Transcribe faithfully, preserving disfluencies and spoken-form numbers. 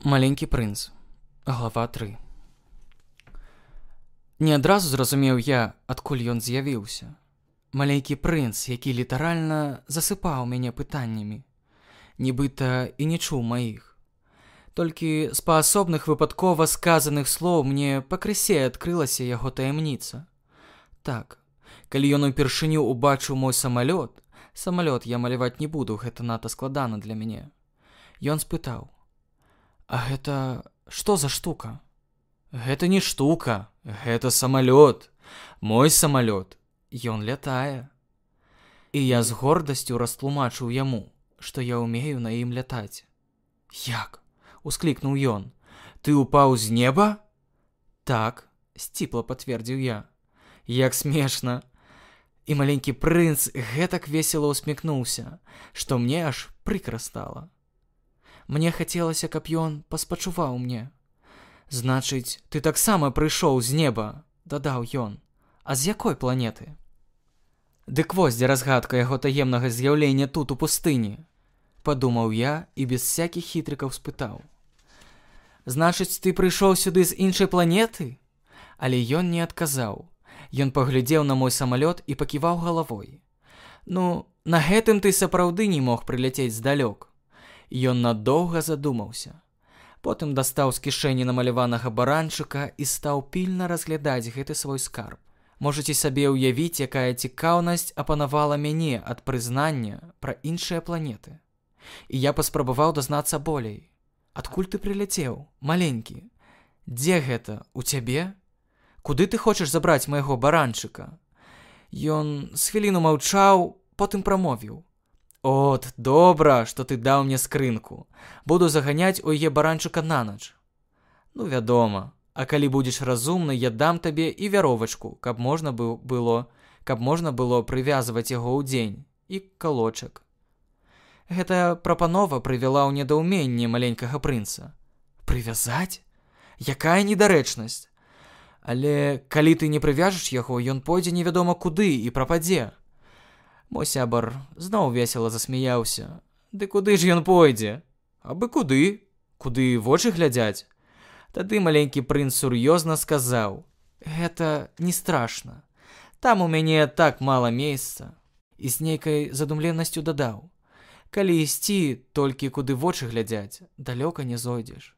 Маленькі прынц. Глава тры. Не адразу зразумеў я, адкуль ён з'явіўся. Маленькі прынц, які літаральна засыпаў мяне пытаннямі, нібыта і не чуў маіх. Толькі з паасобных выпадкова сказаных слоў мне пакрысе адкрылася яго таямніца. Так, калі ён упершыню убачыў мой самалёт, самалёт я маляваць не буду, гэта надта складана для мяне. Ён спытаў: «А гэта што за штука?» «Гэта не штука, гэта самалёт, мой самалёт, ён лятае». І я з гордасцю растлумачыў яму, што я ўмею на ім лятаць. «Як?» — усклікнуў ён. «Ты упаў з неба?» «Так», — сціпла пацвердзіў я. «Як смешна!» І маленькі прынц гэтак весела усміхнуўся, што мне аж прыкра стала. Мне хацелася, каб ён паспачуваў мне. «Значыць, ты таксама прыйшоў з неба», — дадаў ён. «А з якой планеты?» «Дык вось дзе разгадка яго таемнага з'яўлення тут, у пустыні», — падумаў я і без всякіх хітрыкаў спытаў. «Значыць, ты прыйшоў сюды з іншай планеты?» Але ён не адказаў. Ён паглядзеў на мой самалёт і паківаў галавой. «Ну, на гэтым ты сапраўды не мог прыляцець здалёк». Ён надоўга задумаўся. Потым дастаў з кішэні намаляванага баранчыка і стаў пільна разглядаць гэты свой скарб. Можаце сабе ўявіць, якая цікаўнасць апанавала мяне ад прызнання пра іншыя планеты. І я паспрабаваў дазнацца болей. «Адкуль ты прыляцеў, маленькі? Дзе гэта, у цябе? Куды ты хочаш забраць майго баранчыка?» Ён з хвіліну маўчаў, потым прамовіў: «От, добра, што ты даў мне скрынку. Буду заганяць у яе баранчыка на ноч». «Ну, вядома, а калі будзеш разумны, я дам табе і вяровачку, каб можна было, каб можна было прывязваць яго ўдзень, і калочак». Гэтая прапанова прывяла ў недаўменне маленькага прынца. «Прывязаць? Якая недарэчнасць! Але калі ты не прывяжаш яго, ён пойдзе невядома куды і прападзе». Мой сябар зноў весела засмяяўся. «Ды куды ж ён пойдзе? Абы куды? Куды вочы глядзяць?» Тады маленькі прынц сур'ёзна сказаў: «Гэта не страшна. Там у мяне так мала месца». І з нейкай задумленасцю дадаў: «Калі ісці толькі куды вочы глядзяць, далёка не зойдзеш».